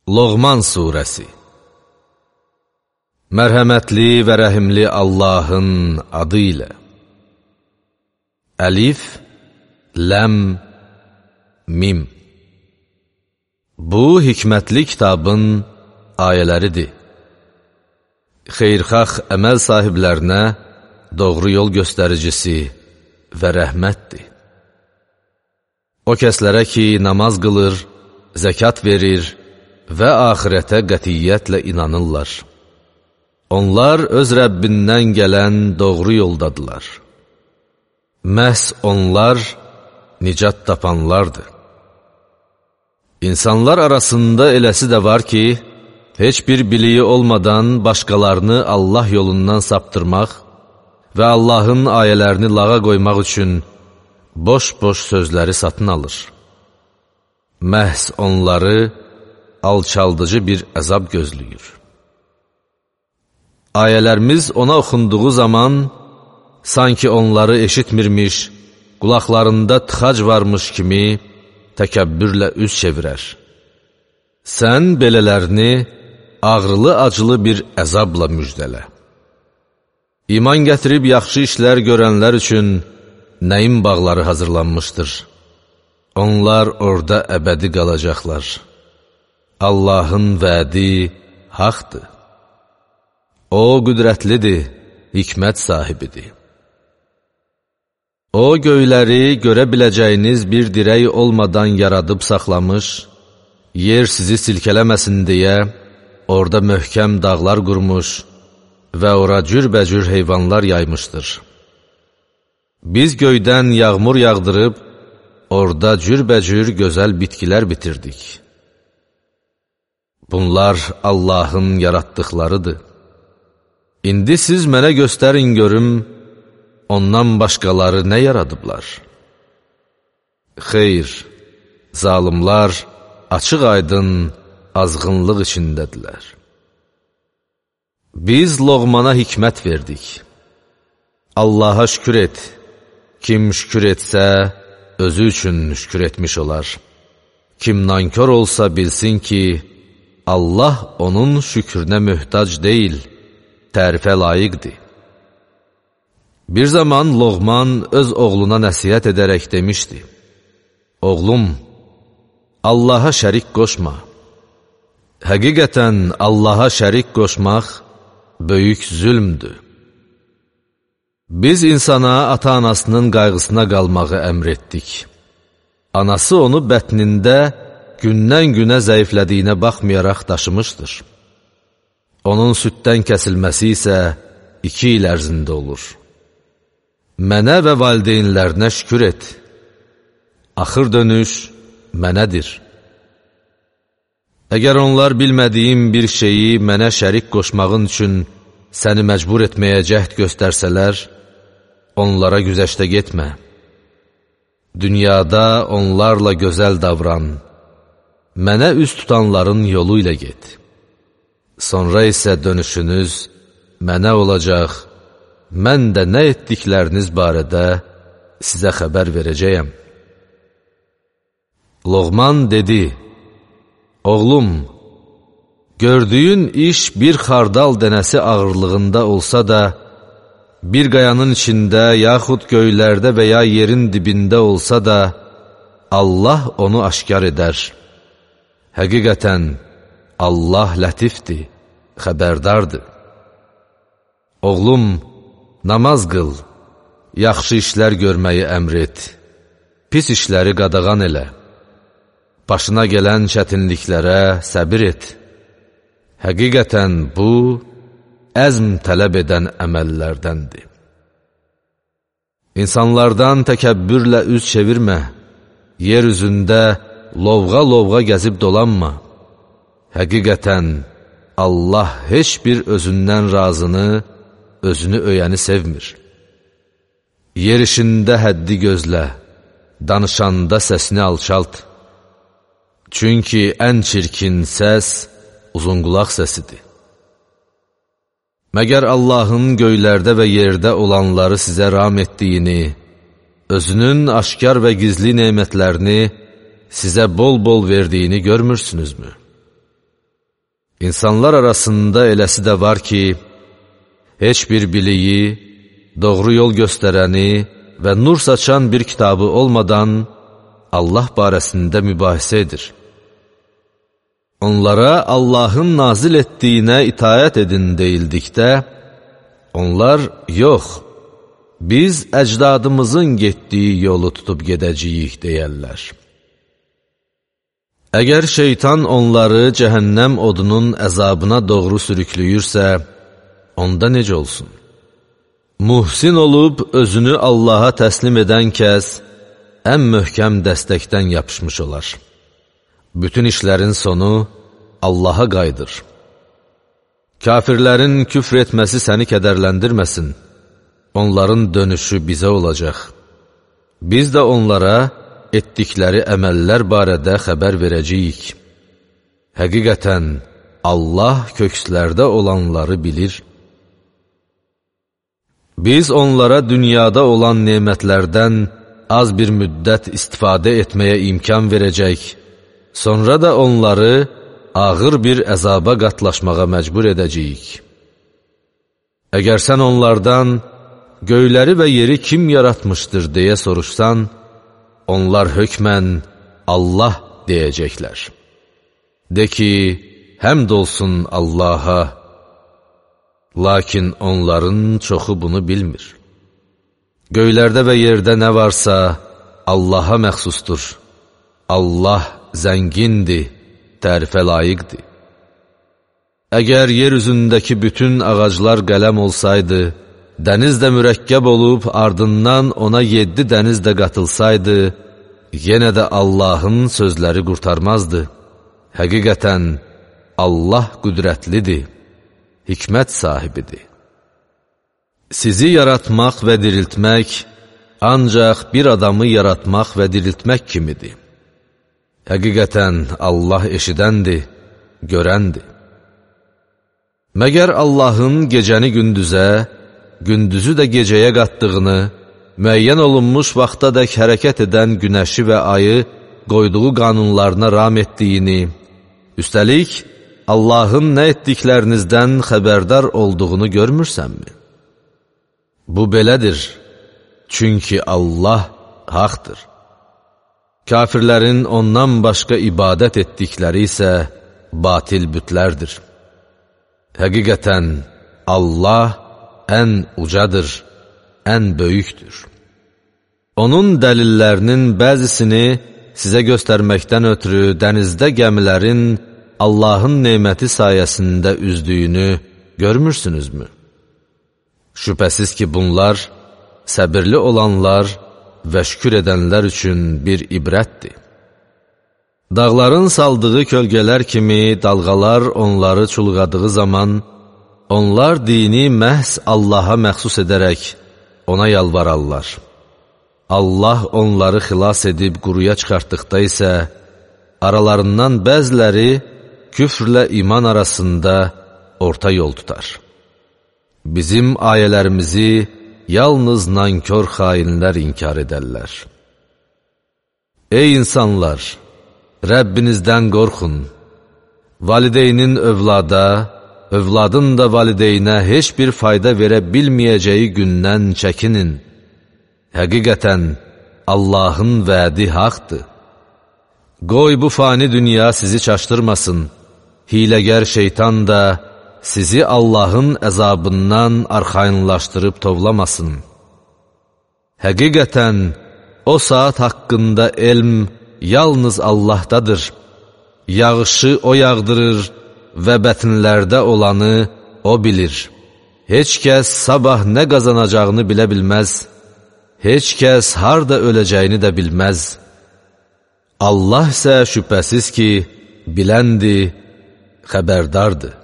Loğman Suresi. Mərhəmətli və rəhimli Allahın adı ilə. Əlif, Ləm, Mim. Bu, hikmətli kitabın ayələridir. Xeyrxax əməl sahiblərinə doğru yol göstəricisi və rəhmətdir. O kəslərə ki, namaz qılır, zəkat verir və axirətə qətiyyətlə inanırlar. Onlar öz Rəbbindən gələn doğru yoldadılar. Məhz onlar nicat tapanlardır. İnsanlar arasında eləsi də var ki, heç bir biliyi olmadan başqalarını Allah yolundan saptırmaq və Allahın ayələrini lağa qoymaq üçün boş-boş sözləri satın alır. Məhz onları alçaldıcı bir əzab gözləyir. Ayələrimiz ona oxunduğu zaman, sanki onları eşitmirmiş, qulaqlarında tıxac varmış kimi təkəbbürlə üz çevirər. Sən belələrini ağrılı-acılı bir əzabla müjdələ. İman gətirib yaxşı işlər görənlər üçün nəyin bağları hazırlanmışdır. Onlar orada əbədi qalacaqlar. Allahın vədi haqdır. O qüdrətlidir, hikmət sahibidir. O göyləri görə biləcəyiniz bir dirək olmadan yaradıb saxlamış, yer sizi silkələməsin deyə orada möhkəm dağlar qurmuş və ora cürbəcür heyvanlar yaymışdır. Biz göydən yağmur yağdırıb, orada cürbəcür gözəl bitkilər bitirdik. Bunlar Allahın yaratdıqlarıdır. İndi siz mənə göstərin görüm, ondan başqaları nə yaradıblar? Xeyr, zalimlar açıq-aydın azğınlıq içindədirlər. Biz Loğmana hikmət verdik. Allaha şükür et. Kim şükür etsə, özü üçün şükür etmiş olar. Kim nankör olsa bilsin ki, Allah onun şükrünə möhtac deyil, tərifə layiqdir. Bir zaman Loğman öz oğluna nəsihət edərək demişdi: Oğlum, Allaha şərik qoşma. Həqiqətən Allaha şərik qoşmaq böyük zülmdür. Biz insana ata-anasının qayğısına qalmağı əmr etdik. Anası onu bətnində gündən-günə zəiflədiyinə baxmayaraq daşımışdır. Onun süddən kəsilməsi isə 2 il ərzində olur. Mənə və valideynlərinə şükür et. Axır dönüş mənədir. Əgər onlar bilmədiyim bir şeyi mənə şərik qoşmağın üçün səni məcbur etməyə cəhd göstərsələr, onlara güzəştə getmə. Dünyada onlarla gözəl davran, mənə üz tutanların yolu ilə get. Sonra isə dönüşünüz mənə olacaq, mən də nə etdikləriniz barədə sizə xəbər verəcəyəm. Loğman dedi: Oğlum, gördüyün iş bir xardal dənəsi ağırlığında olsa da, bir qayanın içində, yaxud göylərdə və ya yerin dibində olsa da, Allah onu aşkar edər. Həqiqətən, Allah lətifdir, xəbərdardır. Oğlum, namaz qıl, yaxşı işlər görməyi əmr et, pis işləri qadağan elə. Başına gələn çətinliklərə səbir et. Həqiqətən bu, əzm tələb edən əməllərdəndir. İnsanlardan təkəbbürlə üz çevirmə, yer üzündə lovğa-lovğa gəzib dolanma. Həqiqətən, Allah heç bir özündən razını, özünü öyəni sevmir. Yer işində həddi gözlə, danışanda səsini alçalt. Çünki ən çirkin səs uzunqulaq səsidir. Məgər Allahın göylərdə və yerdə olanları sizə ram etdiyini, özünün aşkar və gizli nemətlərini sizə bol-bol verdiyini görmürsünüzmü? İnsanlar arasında eləsi də var ki, heç bir biliyi, doğru yol göstərəni və nur saçan bir kitabı olmadan Allah barəsində mübahisə edir. Onlara Allahın nazil etdiyinə itaət edin deyildikdə, onlar yox, biz əcdadımızın getdiyi yolu tutub gedəcəyik deyərlər. Əgər şeytan onları cəhənnəm odunun əzabına doğru sürüklüyürsə, onda necə olsun? Muhsin olub özünü Allaha təslim edən kəs ən möhkəm dəstəkdən yapışmış olar. Bütün işlərin sonu Allaha qayıdır. Kafirlərin küfr etməsi səni kədərləndirməsin. Onların dönüşü bizə olacaq. Biz də onlara etdikləri əməllər barədə xəbər verəcəyik. Həqiqətən, Allah kökslərdə olanları bilir. Biz onlara dünyada olan nemətlərdən az bir müddət istifadə etməyə imkan verəcək, sonra da onları ağır bir əzaba qatlaşmağa məcbur edəcəyik. Əgər sən onlardan göyləri və yeri kim yaratmışdır deyə soruşsan, onlar hökmən Allah deyəcəklər. De ki, həmd olsun Allaha, lakin onların çoxu bunu bilmir. Göylərdə və yerdə nə varsa Allaha məxsusdur. Allah zəngindir, tərifə layiqdir. Əgər yer üzündəki bütün ağaclar qələm olsaydı, dəniz də mürəkkəb olub ardından ona 7 dəniz də qatılsaydı, yenə də Allahın sözləri qurtarmazdı. Həqiqətən, Allah qüdrətlidir, hikmət sahibidir. Sizi yaratmaq və diriltmək ancaq bir adamı yaratmaq və diriltmək kimidir. Həqiqətən, Allah eşidəndir, görəndir. Məgər Allahın gecəni gündüzə, gündüzü də gecəyə qatdığını, müəyyən olunmuş vaxtadək hərəkət edən günəşi və ayı qoyduğu qanunlarına ram etdiyini, üstəlik, Allahın nə etdiklərinizdən xəbərdar olduğunu görmürsənmi? Bu belədir, çünki Allah haqdır. Kafirlərin ondan başqa ibadət etdikləri isə batil bütlərdir. Həqiqətən, Allah ən ucadır, ən böyükdür. Onun dəlillərinin bəzisini sizə göstərməkdən ötürü dənizdə gəmilərin Allahın neməti sayəsində üzdüyünü görmürsünüzmü? Şübhəsiz ki, bunlar səbirli olanlar və şükür edənlər üçün bir ibrətdir. Dağların saldığı kölgələr kimi dalğalar onları çulğadığı zaman, onlar dini məhz Allaha məxsus edərək ona yalvararlar. Allah onları xilas edib quruya çıxartdıqda isə, aralarından bəziləri küfrlə iman arasında orta yol tutar. Bizim ayələrimizi yalnız nankör xainlər inkar edərlər. Ey insanlar! Rəbbinizdən qorxun. Valideynin övlada, övladın da valideynə heç bir fayda verə bilməyəcəyi gündən çəkinin. Həqiqətən, Allahın vədi haqdır. Qoy bu fani dünya sizi çaşdırmasın. Hiləgər şeytan da sizi Allahın əzabından arxayınlaşdırıb tovlamasın. Həqiqətən, o saat haqqında elm yalnız Allahdadır. Yağışı o yağdırır və bətnlərdə olanı o bilir. Heç kəs sabah nə qazanacağını bilə bilməz. Heç kəs harda öləcəyini də bilməz. Allah isə şübhəsiz ki, biləndir, xəbərdardır.